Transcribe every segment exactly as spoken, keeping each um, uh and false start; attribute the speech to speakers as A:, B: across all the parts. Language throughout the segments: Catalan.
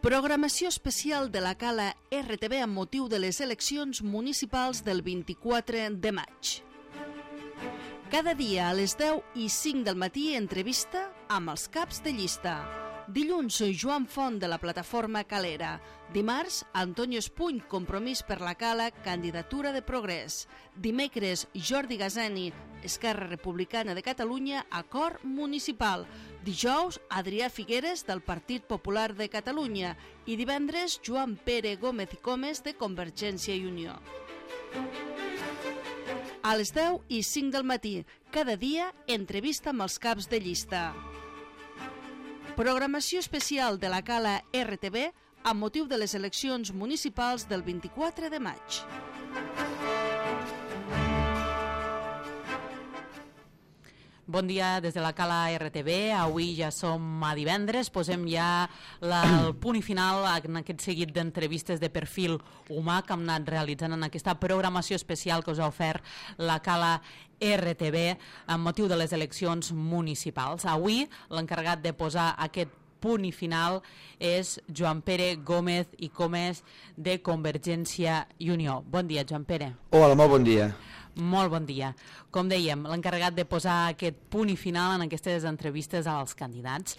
A: Programació especial de la Cala R T V amb motiu de les eleccions municipals del vint-i-quatre de maig. Cada dia a les deu i cinc del matí entrevista amb els caps de llista. Dilluns, Joan Font de la plataforma Calera. Dimarts, Antonio Espuny, Compromís per la Cala, candidatura de Progrés. Dimecres, Jordi Gazani, Esquerra Republicana de Catalunya, acord municipal. Dijous, Adrià Figueres, del Partit Popular de Catalunya. I divendres, Joan Pere Gómez i Comes, de Convergència i Unió. A les deu i cinc del matí, cada dia, entrevista amb els caps de llista. Programació especial de la Cala R T V amb motiu de les eleccions municipals del vint-i-quatre de maig.
B: Bon dia des de la Cala R T V. Avui ja som a divendres, posem ja la, el punt i final en aquest seguit d'entrevistes de perfil humà que hem anat realitzant en aquesta programació especial que us ha ofert la Cala R T V amb motiu de les eleccions municipals. Avui l'encarregat de posar aquest punt i final és Joan Pere Gómez i Comes de Convergència i Unió. Bon dia, Joan Pere.
C: Hola, molt bon dia.
B: Molt bon dia. Com dèiem, l'encarregat de posar aquest punt i final en aquestes entrevistes als candidats.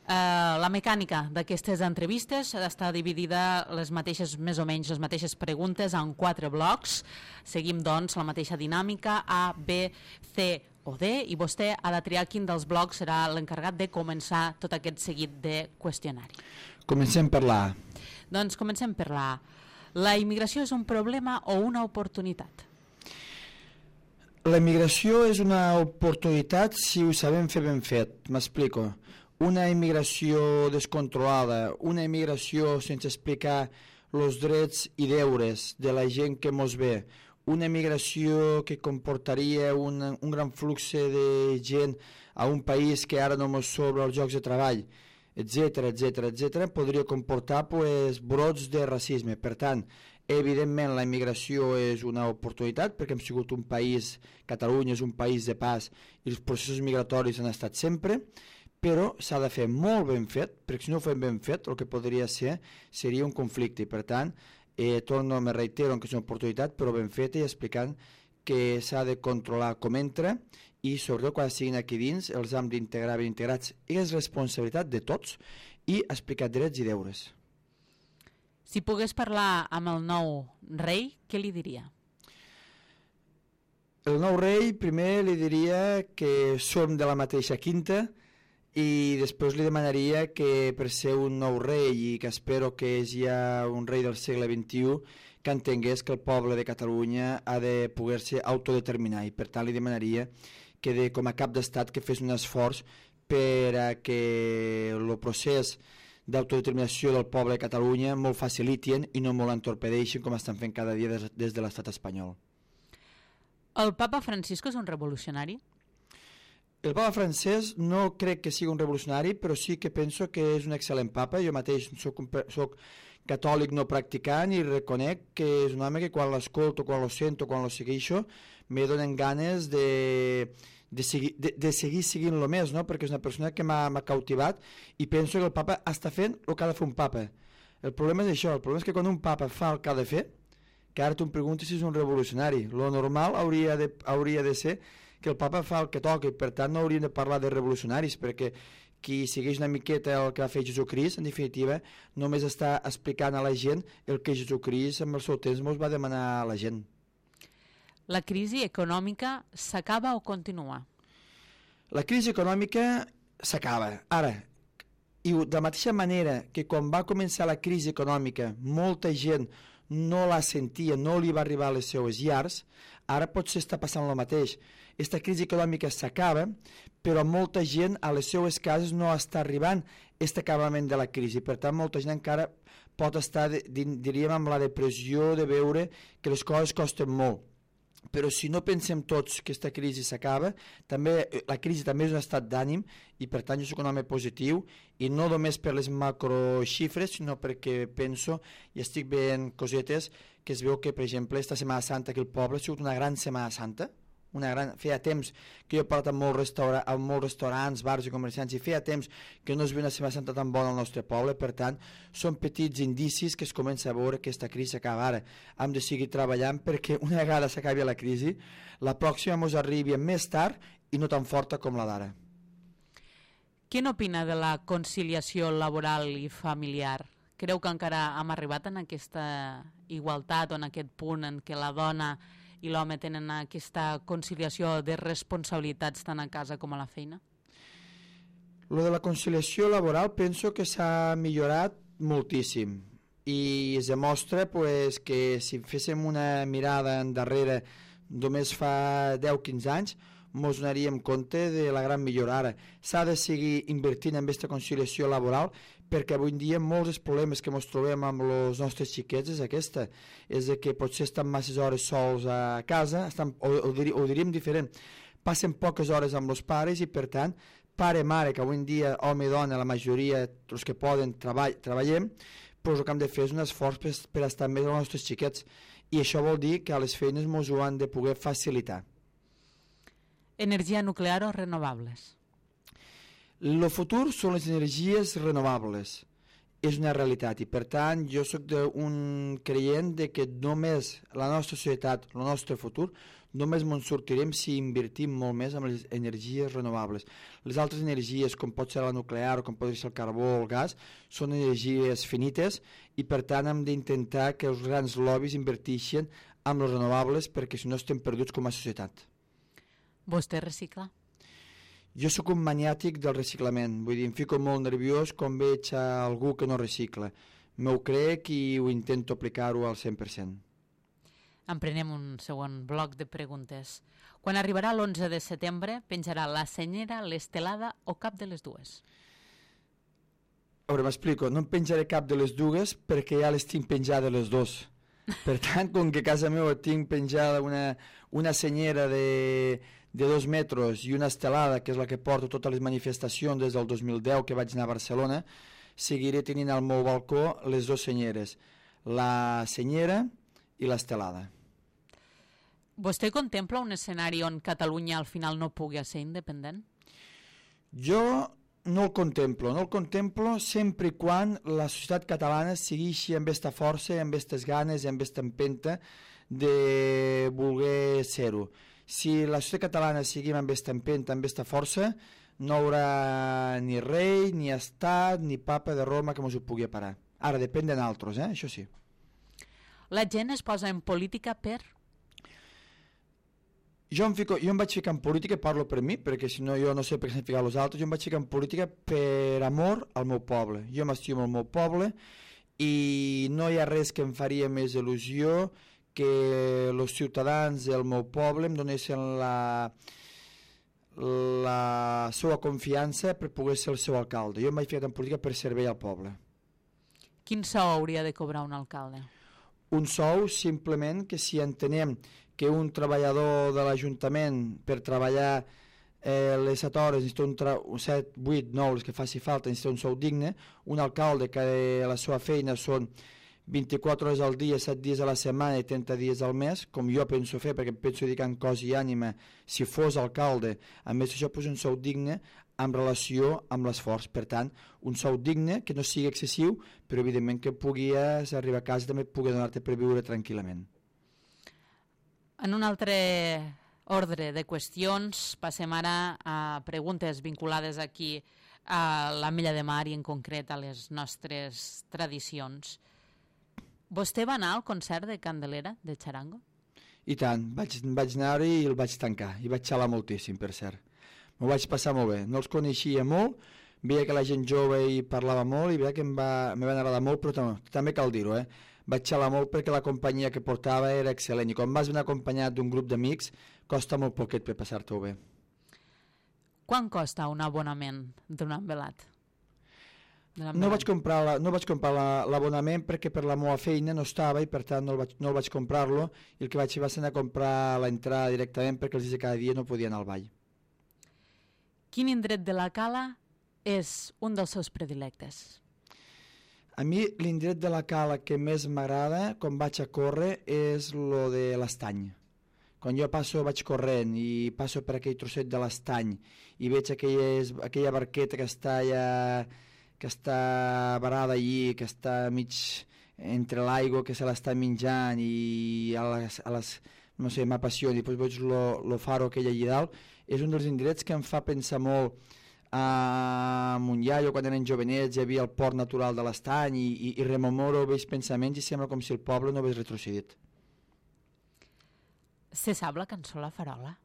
B: Uh, la mecànica d'aquestes entrevistes està dividida les mateixes, més o menys les mateixes preguntes en quatre blocs. Seguim, doncs, la mateixa dinàmica A, B, C o D, i vostè ha de triar quin dels blocs serà l'encarregat de començar tot aquest seguit de qüestionari.
C: Comencem per l'A.
B: Doncs comencem per l'A. La immigració és un problema o una oportunitat?
C: La immigració és una oportunitat si ho sabem fer ben fet. M'explico. Una immigració descontrolada, una immigració sense explicar els drets i deures de la gent que mos ve, una immigració que comportaria un, un gran flux de gent a un país que ara no mos sobra els llocs de treball, etcètera, etcètera, etcètera, podria comportar pues, brots de racisme. Per tant, evidentment la immigració és una oportunitat perquè hem sigut un país, Catalunya és un país de pas i els processos migratoris han estat sempre, però s'ha de fer molt ben fet, perquè si no ho fem ben fet el que podria ser seria un conflicte i per tant, eh, torno, me reitero que és una oportunitat però ben feta i explicant que s'ha de controlar com entra i sobretot quan siguin aquí dins els hem d'integrar ben integrats i és responsabilitat de tots i explicar drets i deures.
B: Si pogués parlar amb el nou rei, què li diria?
C: El nou rei primer li diria que som de la mateixa quinta i després li demanaria que per ser un nou rei i que espero que és ja un rei del segle vint-i-u que entengués que el poble de Catalunya ha de poder-se autodeterminar i per tant li demanaria que de, com a cap d'estat que fes un esforç per a que el procés d'autodeterminació del poble de Catalunya molt facilitien i no molt entorpedeixen com estan fent cada dia des, des de l'estat espanyol.
B: El papa Francisco és un revolucionari?
C: El papa francès no crec que sigui un revolucionari, però sí que penso que és un excel·lent papa. Jo mateix soc, un, soc catòlic no practicant i reconec que és un home que quan l'escolto, quan lo sento, quan lo segueixo, me donen ganes de... De seguir, de, de seguir seguint-lo més, no? Perquè és una persona que m'ha cautivat i penso que el papa està fent el que ha de fer un papa. El problema és això, el problema és que quan un papa fa el que ha de fer, que ara tu em preguntes si és un revolucionari, lo normal hauria de, hauria de ser que el papa fa el que toca i per tant no hauríem de parlar de revolucionaris perquè qui segueix una miqueta el que va fer Jesucrist, en definitiva, només està explicant a la gent el que Jesucrist amb el seu temps mos va demanar a la gent.
B: La crisi econòmica s'acaba o continua?
C: La crisi econòmica s'acaba. Ara, i de la mateixa manera que quan va començar la crisi econòmica molta gent no la sentia, no li va arribar a les seues llars, ara potser està passant el mateix. Esta crisi econòmica s'acaba, però molta gent a les seues cases no està arribant aquest acabament de la crisi. Per tant, molta gent encara pot estar, diríem, amb la depressió de veure que les coses costen molt. Però si no pensem tots que aquesta crisi s'acaba, també la crisi també és un estat d'ànim i per tant jo soc un home positiu i no només per les macroxifres sinó perquè penso i estic veient cosetes que es veu que per exemple esta Setmana Santa que el poble ha sigut una gran Setmana Santa, una gran... feia temps que jo he parlat amb molts, restaura... amb molts restaurants, bars i comerciants, i feia temps que no es veia una Setmana Santa tan bona al nostre poble. Per tant, són petits indicis que es comença a veure que aquesta crisi acaba ara. Hem de seguir treballant perquè una vegada s'acabi la crisi, la pròxima ens arribi més tard i no tan forta com la d'ara.
B: Què n'opina de la conciliació laboral i familiar? Creu que encara hem arribat en aquesta igualtat o en aquest punt en què la dona i l'home tenen aquesta conciliació de responsabilitats tant a casa com a la feina?
C: Lo de la conciliació laboral penso que s'ha millorat moltíssim i es demostra pues, que si féssim una mirada endarrere només fa deu quinze anys ens donaríem compte de la gran millora. Ara s'ha de seguir invertint en aquesta conciliació laboral perquè avui en dia molts dels problemes que ens trobem amb els nostres xiquets és aquesta, és que potser estan masses hores sols a casa, estan, o, o, dir, o diríem diferent, passen poques hores amb els pares i per tant, pare, mare, que avui en dia home i dona, la majoria, els que poden, treball, treballem, doncs el que hem de fer és un esforç per, per estar més amb els nostres xiquets i això vol dir que a les feines ens ho han de poder facilitar.
B: Energia nuclear o renovables?
C: El futur són les energies renovables, és una realitat i per tant jo soc un creient de que només la nostra societat, el nostre futur, només ens sortirem si invertim molt més en les energies renovables. Les altres energies, com pot ser la nuclear o com pot ser el carbó o el gas, són energies finites i per tant hem d'intentar que els grans lobbies inverteixin en les renovables perquè si no estem perduts com a societat.
B: Vostè recicla?
C: Jo sóc un maniàtic del reciclament, vull dir, em fico molt nerviós quan veig a algú que no recicla. M'ho crec i ho intento aplicar-ho al cent per cent.
B: Emprenem un segon bloc de preguntes. Quan arribarà l'onze de setembre, penjarà la senyera, l'estelada o cap de les dues?
C: A veure, m'explico, no em penjaré cap de les dues perquè ja les tinc penjades les dues. Per tant, com que a casa meva tinc penjada una, una senyera de... de dos metres i una estelada, que és la que porto totes les manifestacions des del dos mil deu que vaig anar a Barcelona, seguiré tenint al meu balcó les dues senyeres, la senyera i l'estelada.
B: Vostè contempla un escenari on Catalunya al final no pugui ser independent?
C: Jo no el contemplo, no el contemplo sempre i quan la societat catalana segueixi amb aquesta força, amb aquestes ganes i amb aquesta empenta de voler ser-ho. Si la societat catalana seguim amb aquesta empenta, amb aquesta força, no hi haurà ni rei, ni estat, ni papa de Roma que ens ho pugui parar. Ara, depèn de nosaltres, eh? Això sí.
B: La gent es posa en política per?
C: Jo em, fico, jo em vaig ficar en política, parlo per mi, perquè si no jo no sé per què s'han ficat els altres, jo em vaig ficar en política per amor al meu poble. Jo m'estimo el meu poble i no hi ha res que em faria més il·lusió que els ciutadans del meu poble em donessin la, la seva confiança per poder ser el seu alcalde. Jo em vaig ficar en política per servir al poble.
B: Quin sou hauria de cobrar un alcalde?
C: Un sou simplement que si entenem que un treballador de l'Ajuntament per treballar eh, les set hores necessita un, tra un set, vuit, nou, les que faci falta, necessita un sou digne, un alcalde que la seva feina són vint-i-quatre hores al dia, set dies a la setmana i trenta dies al mes, com jo penso fer, perquè em penso dedicar en cos i ànima, si fos alcalde, a més això posa un sou digne en relació amb l'esforç. Per tant, un sou digne que no sigui excessiu, però evidentment que puguis arribar a casa també pugui donar-te per viure tranquil·lament.
B: En un altre ordre de qüestions, passem ara a preguntes vinculades aquí a l'Ametlla de Mar i en concret a les nostres tradicions. Vostè va anar al concert de Candelera, de Charango?
C: I tant, vaig, vaig anar-hi i el vaig tancar, i vaig xalar moltíssim, per cert. M'ho vaig passar molt bé, no els coneixia molt, veia que la gent jove hi parlava molt i veia que em va, em van agradar molt, però també, també cal dir-ho, eh? Vaig xalar molt perquè la companyia que portava era excel·lent i quan vas venir acompanyat d'un grup d'amics costa molt poquet per passar-t'ho bé.
B: Quan costa un abonament d'un envelat?
C: No vaig comprar, no vaig comprar l'abonament perquè per la meva feina no estava i per tant no el vaig, no el vaig comprar-lo i el que vaig fer va ser anar a comprar l'entrada directament perquè els dies de cada dia no podia anar al ball.
B: Quin indret de la Cala és un dels seus predilectes?
C: A mi l'indret de la Cala que més m'agrada quan vaig a córrer és lo de l'Estany. quan jo passo, vaig corrent i passo per aquell trosset de l'estany i veig aquelles, aquella barqueta que està ja, que està varada allí, que està mig entre l'aigua, que se l'està menjant i a les, a les no sé, m'apassiona, i després veig lo, lo faro aquell allí dalt, és un dels indrets que em fa pensar molt a Montllà. Jo quan eren jovenets hi havia el port natural de l'estany i, i, i rememoro vells pensaments i sembla com si el poble no hagués retrocedit.
B: Se sap la cançó La Farola?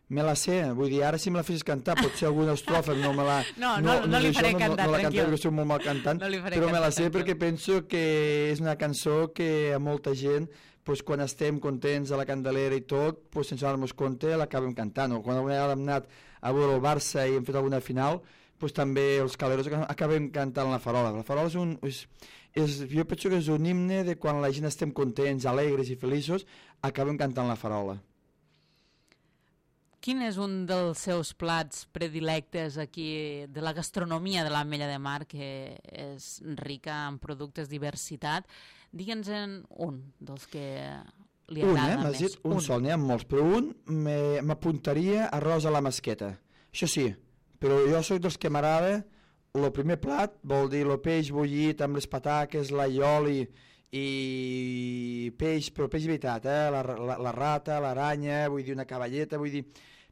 C: Me la sé, vull dir, ara si me la fessis cantar, potser alguna estrofa no me la...
B: No, no, no, no li faré
C: no,
B: cantar,
C: no, no la
B: tranquil.
C: cantaré perquè soc molt mal cantant,
B: no
C: però me la sé perquè penso que és una cançó que a molta gent, pues, quan estem contents a la Candelera i tot, pues, sense donar-nos compte l'acabem cantant. O quan alguna vegada hem anat a veure el Barça i hem fet alguna final, pues, també els caleros acabem cantant La Farola. La Farola és un... És, és, jo penso que és un himne de quan la gent estem contents, alegres i feliços, acabem cantant La Farola.
B: Quin és un dels seus plats predilectes aquí de la gastronomia de l'Ametlla de Mar, que és rica en productes, diversitat? Digue'ns en un dels que li agrada
C: un, eh?
B: més.
C: Dit, un, un sol, n'hi ha molts, però un m'apuntaria arròs a la masqueta. Això sí, però jo soc dels que m'agrada el primer plat, vol dir el peix bullit amb les pataques, l'allioli i peix, però peix de veritat, eh? la, la, la rata, l'aranya, vull dir una cavalleta, vull dir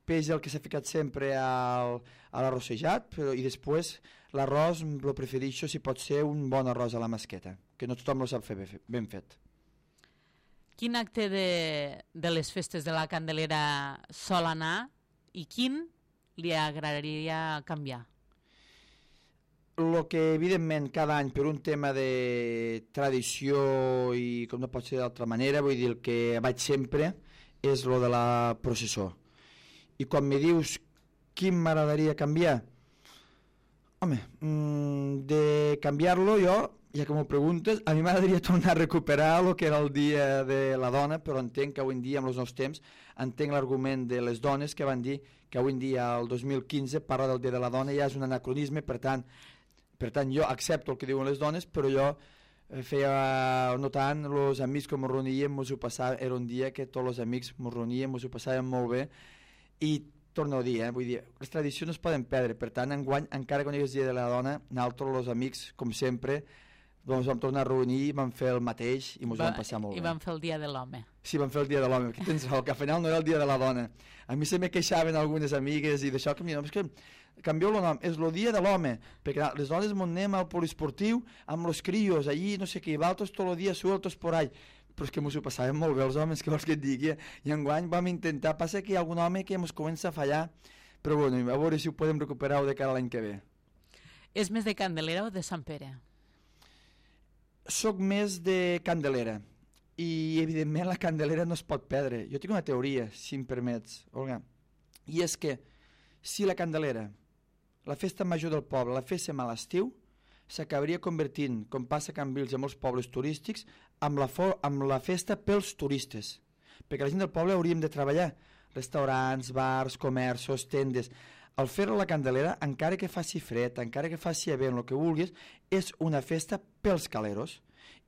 C: peix el que s'ha ficat sempre al, a l'arrossejat, però i després l'arròs el prefereixo si pot ser un bon arròs a la masqueta, que no tothom el sap fer ben fet.
B: Quin acte de, de les festes de la Candelera sol anar i quin li agradaria canviar?
C: El que evidentment cada any per un tema de tradició i com no pot ser d'altra manera, vull dir el que vaig sempre és lo de la processó. I quan me dius quin m'agradaria canviar, home, mmm, de canviar-lo jo, ja que m'ho preguntes, a mi m'agradaria tornar a recuperar el que era el dia de la dona, però entenc que avui en dia, amb els nous temps, entenc l'argument de les dones que van dir que avui en dia, el dos mil quinze, parla del dia de la dona, ja és un anacronisme, per tant, per tant jo accepto el que diuen les dones, però jo feia notant els amics que mos reuníem, mos ho passàvem, era un dia que tots els amics mos reuníem, mos ho passàvem molt bé, i torno a dir, eh, vull dir, les tradicions no es poden perdre, per tant, enguany, encara que no hi hagués dia de la dona, nosaltres, els amics, com sempre, doncs vam tornar a reunir i vam fer el mateix i ens ho vam passar molt
B: I
C: bé.
B: I vam fer el dia de l'home.
C: Sí, vam fer el dia de l'home, que tens raó, que al final no era el dia de la dona. A mi se me queixaven algunes amigues i d'això, que, és que canvieu el nom, és el dia de l'home, perquè les dones m'ho anem al poliesportiu amb els crios, allí no sé què, i valtres tot el dia sueltos por ahí, però és que ens ho passàvem molt bé els homes, que vols que et digui, i enguany vam intentar, passa que hi ha algun home que ens comença a fallar, però bueno, a veure si ho podem recuperar de cara a l'any que ve.
B: És més de Candelera o de Sant Pere?
C: Soc més de Candelera i evidentment la Candelera no es pot perdre. Jo tinc una teoria, si em permets, Olga, i és que si la Candelera, la festa major del poble, la féssim a l'estiu, s'acabaria convertint, com passa a Cambrils i a molts pobles turístics, amb la, amb la festa pels turistes, perquè la gent del poble hauríem de treballar, restaurants, bars, comerços, tendes. Al fer-ho a la Candelera, encara que faci fred, encara que faci event, el que vulguis, és una festa pels caleros.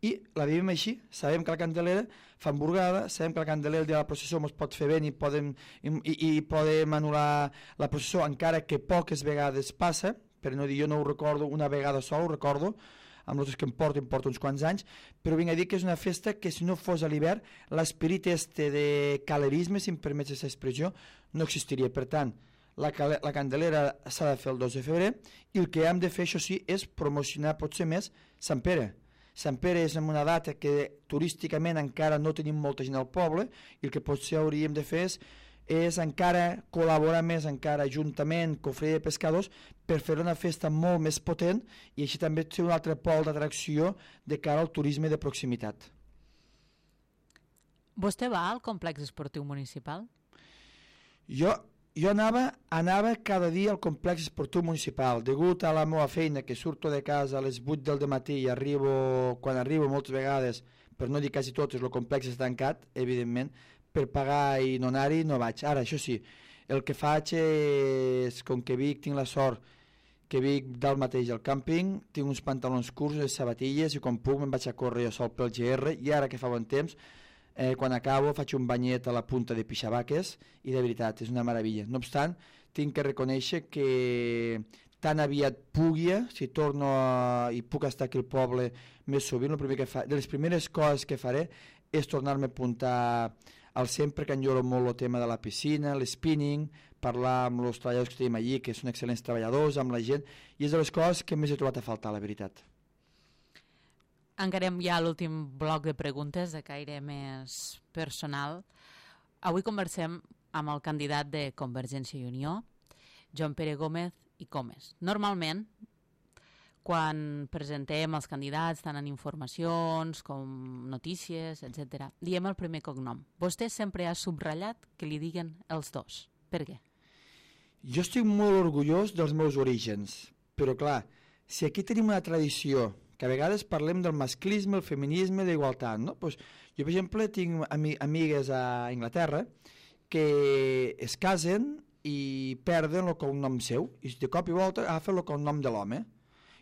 C: I la vivim així, sabem que la Candelera fa hamburgada, sabem que la Candelera el dia de la processó ens pot fer vent i podem, i, i podem anul·lar la processó, encara que poques vegades passa, per no dir jo no ho recordo una vegada sola, ho recordo, amb els que em porto, em porto uns quants anys, però vinc a dir que és una festa que si no fos a l'hivern, l'esperit este de calerisme, si em permets aquesta expressió, no existiria. Per tant, La, la Candelera s'ha de fer el dos de febrer i el que hem de fer, això sí, és promocionar potser més Sant Pere. Sant Pere és en una data que turísticament encara no tenim molta gent al poble i el que potser hauríem de fer és, és encara col·laborar més encara juntament, cofre de pescadors, per fer una festa molt més potent i així també ser un altre pol d'atracció de cara al turisme de proximitat.
B: Vostè va al complex esportiu municipal?
C: Jo... Jo anava, anava cada dia al complex esportiu municipal, degut a la meva feina, que surto de casa a les vuit del matí i arribo, quan arribo moltes vegades, per no dir quasi totes, el complex està tancat, evidentment, per pagar i no anar-hi no vaig. Ara, això sí, el que faig és, com que Vic tinc la sort que Vic dalt mateix al càmping, tinc uns pantalons curts, les sabatilles, i quan puc me'n vaig a córrer jo sol pel G R, i ara que fa bon temps, eh, quan acabo faig un banyet a la punta de pixabaques i de veritat és una meravella. No obstant, tinc que reconèixer que tan aviat pugui, si torno a, i puc estar aquí al poble més sovint, el primer que fa, de les primeres coses que faré és tornar-me a apuntar al sempre, que enlloro molt el tema de la piscina, l'spinning, parlar amb els treballadors que tenim allí, que són excel·lents treballadors, amb la gent, i és de les coses que més he trobat a faltar, la veritat.
B: Encarem ja l'últim bloc de preguntes de caire més personal. Avui conversem amb el candidat de Convergència i Unió, Joan Pere Gómez i Comes. Normalment, quan presentem els candidats, tant en informacions com notícies, etcètera, diem el primer cognom. Vostè sempre ha subratllat que li diguen els dos. Per què?
C: Jo estic molt orgullós dels meus orígens, però clar, si aquí tenim una tradició, que a vegades parlem del masclisme, el feminisme, d'igualtat, no? Pues jo, per exemple, tinc ami amigues a Anglaterra que es casen i perden el cognom seu, i de cop i volta agafen el cognom de l'home.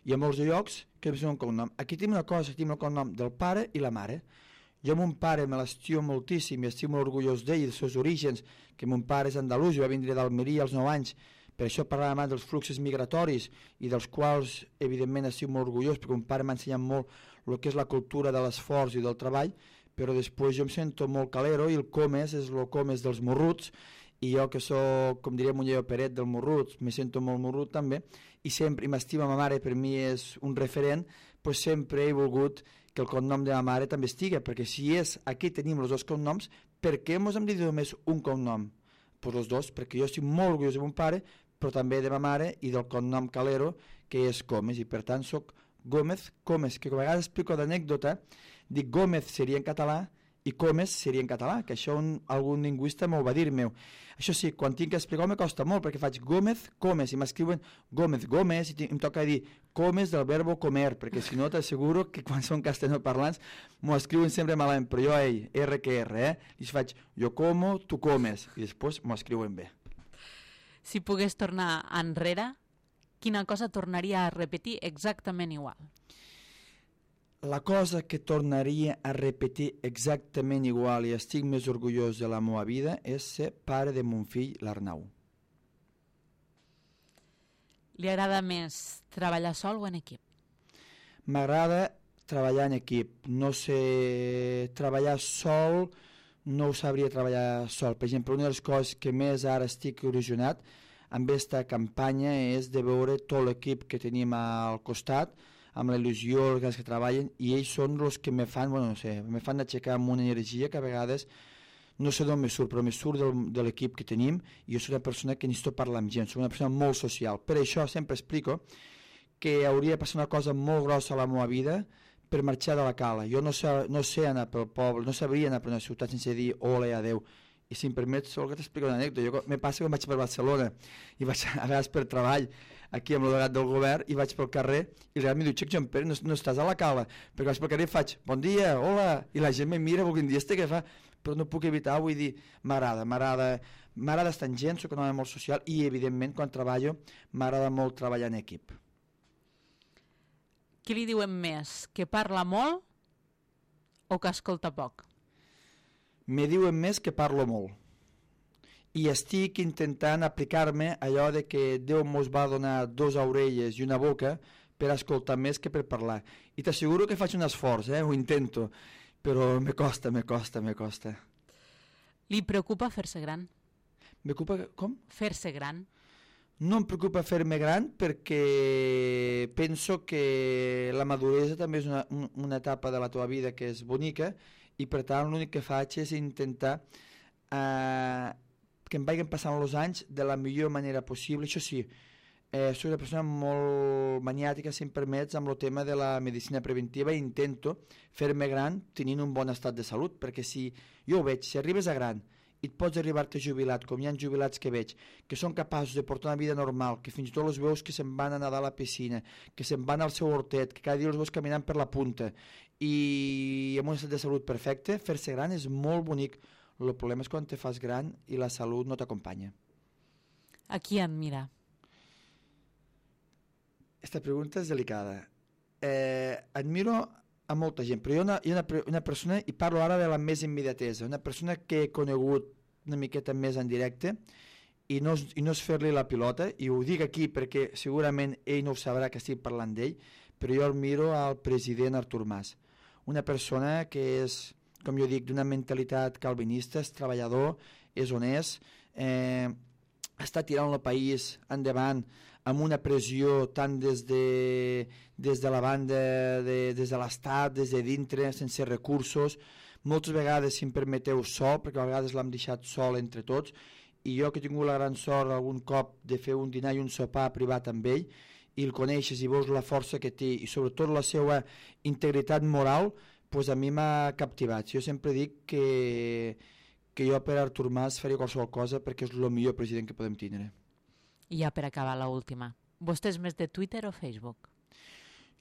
C: Hi ha molts llocs que és un cognom. Aquí tenim una cosa, tenim el cognom del pare i la mare. Jo mon pare me l'estimo moltíssim i estic molt orgullós d'ell i dels seus orígens, que mon pare és andalús i va vindre d'Almeria als nou anys. Per això parlàvem abans dels fluxos migratoris i dels quals, evidentment, estic molt orgullós, perquè mon pare m'ha ensenyat molt el que és la cultura de l'esforç i del treball, però després jo em sento molt calero i el Comes és el Comes dels morruts, i jo que soc, com diria Muñoz Peret, del morruts, me sento molt morrut també, i sempre, i m'estima ma mare, per mi és un referent, pues sempre he volgut que el cognom de ma mare també estigui, perquè si és, aquí tenim els dos cognoms, per què mos hem de dir només un cognom? Pues els dos, perquè jo estic molt orgullós de mon pare, però també de ma mare i del cognom Calero, que és Comes, i per tant soc Gómez Comes, que a vegades explico d'anècdota, dic Gómez seria en català i Comes seria en català, que això un, algun lingüista m'ho va dir meu. Això sí, quan tinc que explicar me costa molt, perquè faig Gómez Comes i m'escriuen Gómez Gómez i em toca dir Comes del verbo comer, perquè si no t'asseguro que quan són castellanoparlants m'ho escriuen sempre malament, però jo a ell, R que R, eh? I faig jo como, tu comes, i després m'ho escriuen bé.
B: Si pogués tornar enrere, quina cosa tornaria a repetir exactament igual?
C: La cosa que tornaria a repetir exactament igual i estic més orgullós de la meva vida és ser pare de mon fill, l'Arnau.
B: Li agrada més treballar sol o en equip?
C: M'agrada treballar en equip. No sé treballar sol, no ho sabria treballar sol. Per exemple, una de les coses que més ara estic il·lusionat amb aquesta campanya és de veure tot l'equip que tenim al costat, amb la il·lusió, els que treballen, i ells són els que me fan, bueno, no sé, me fan aixecar amb una energia que a vegades no sé d'on me surt, però me surt del, de l'equip que tenim, i jo soc una persona que necessito parlar amb gent, soc una persona molt social. Per això sempre explico que hauria de passar una cosa molt grossa a la meva vida per marxar de la cala. Jo no sé, no sé anar pel poble, no sabria anar per una ciutat sense dir hola i adeu. I si em permets, sol que t'explico una anècdota. Jo me passa que vaig per Barcelona i vaig a vegades per treball aquí amb el delegat del govern i vaig pel carrer i realment mi diu, Xec, Joan Pere, no, no estàs a la cala, perquè vaig pel carrer i faig bon dia, hola, i la gent me mira volguent dir, este què fa? Però no puc evitar, vull dir, m'agrada, m'agrada m'agrada estar en gent, soc un home molt social i evidentment quan treballo m'agrada molt treballar en equip.
B: Què li diuen més, que parla molt o que escolta poc?
C: Me diuen més que parlo molt. I estic intentant aplicar-me allò de que Déu mos va donar dos orelles i una boca per escoltar més que per parlar. I t'asseguro que faig un esforç, eh? Ho intento, però me costa, me costa, me costa.
B: Li preocupa fer-se gran?
C: Me preocupa, com?
B: Fer-se gran.
C: No em preocupa fer-me gran perquè penso que la maduresa també és una, una etapa de la teva vida que és bonica i per tant l'únic que faig és intentar eh, que em vagin passant els anys de la millor manera possible. Això sí, eh, soc una persona molt maniàtica, si em permets, amb el tema de la medicina preventiva i intento fer-me gran tenint un bon estat de salut, perquè si jo ho veig, si arribes a gran i et pots arribar-te jubilat, com hi ha jubilats que veig, que són capaços de portar una vida normal, que fins i tot els veus que se'n van a nedar a la piscina, que se'n van al seu hortet, que cada dia els veus caminant per la punta, i amb un estat de salut perfecte, fer-se gran és molt bonic. El problema és quan te fas gran i la salut no t'acompanya.
B: A qui admira?
C: Esta pregunta és delicada. Eh, admiro a molta gent, però hi ha una, hi ha una, una persona, i parlo ara de la més immediatesa, una persona que he conegut una miqueta més en directe, i no, i no és fer-li la pilota, i ho dic aquí perquè segurament ell no ho sabrà que estic parlant d'ell, però jo el miro al president Artur Mas, una persona que és, com jo dic, d'una mentalitat calvinista, és treballador, és honest, eh, està tirant el país endavant amb una pressió tant des de, des de la banda, de, des de l'Estat, des de dintre, sense recursos, moltes vegades, si em permeteu, sol, perquè a vegades l'hem deixat sol entre tots, i jo que he tingut la gran sort algun cop de fer un dinar i un sopar privat amb ell, i el coneixes i veus la força que té, i sobretot la seva integritat moral, pues a mi m'ha captivat. Jo sempre dic que, que jo per Artur Mas faria qualsevol cosa perquè és el millor president que podem tindre.
B: I ja per acabar, l'última. Vostè és més de Twitter o Facebook?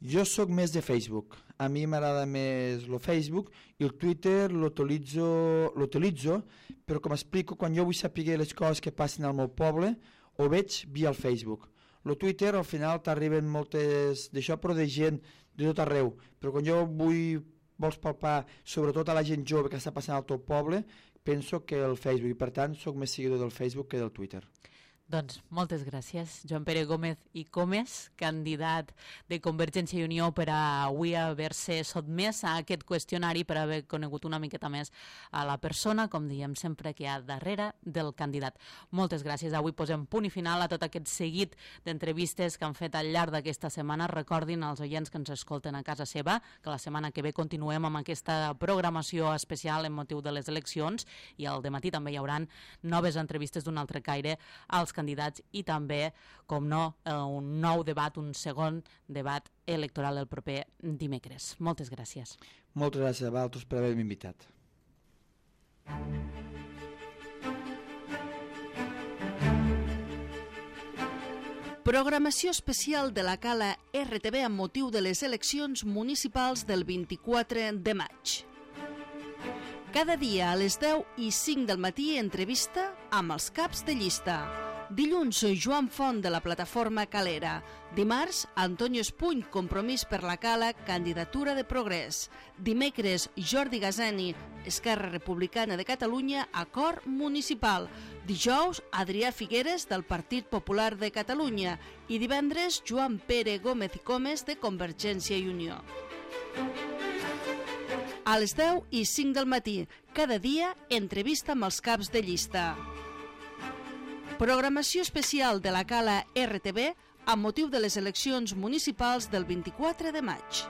C: Jo sóc més de Facebook. A mi m'agrada més el Facebook i el Twitter l'utilitzo, però com explico, quan jo vull saber les coses que passen al meu poble, ho veig via el Facebook. El Twitter al final t'arriben moltes d'això, però de gent de tot arreu. Però quan jo vull, vols palpar sobretot a la gent jove que està passant al teu poble, penso que el Facebook, i per tant sóc més seguidor del Facebook que del Twitter.
B: Doncs moltes gràcies, Joan Pere Gómez i Comes, candidat de Convergència i Unió, per a avui haver-se sotmès a aquest qüestionari, per haver conegut una miqueta més a la persona, com diem sempre, que hi ha darrere del candidat. Moltes gràcies. Avui posem punt i final a tot aquest seguit d'entrevistes que han fet al llarg d'aquesta setmana. Recordin als oients que ens escolten a casa seva que la setmana que ve continuem amb aquesta programació especial en motiu de les eleccions, i al dematí també hi haurà noves entrevistes d'un altre caire als candidats i també, com no, un nou debat, un segon debat electoral el proper dimecres. Moltes gràcies.
C: Moltes gràcies a vosaltres per haver-me invitat.
A: Programació especial de la Cala R T V amb motiu de les eleccions municipals del vint-i-quatre de maig. Cada dia a les deu i cinc del matí entrevista amb els caps de llista. Dilluns, Joan Font, de la plataforma Calera. Dimarts, Antonio Espuny, Compromís per la Cala, candidatura de progrés. Dimecres, Jordi Gazani, Esquerra Republicana de Catalunya, acord municipal. Dijous, Adrià Figueres, del Partit Popular de Catalunya. I divendres, Joan Pere Gómez i Comes, de Convergència i Unió. A les deu i cinc del matí, cada dia, entrevista amb els caps de llista. Programació especial de la Cala R T V amb motiu de les eleccions municipals del vint-i-quatre de maig.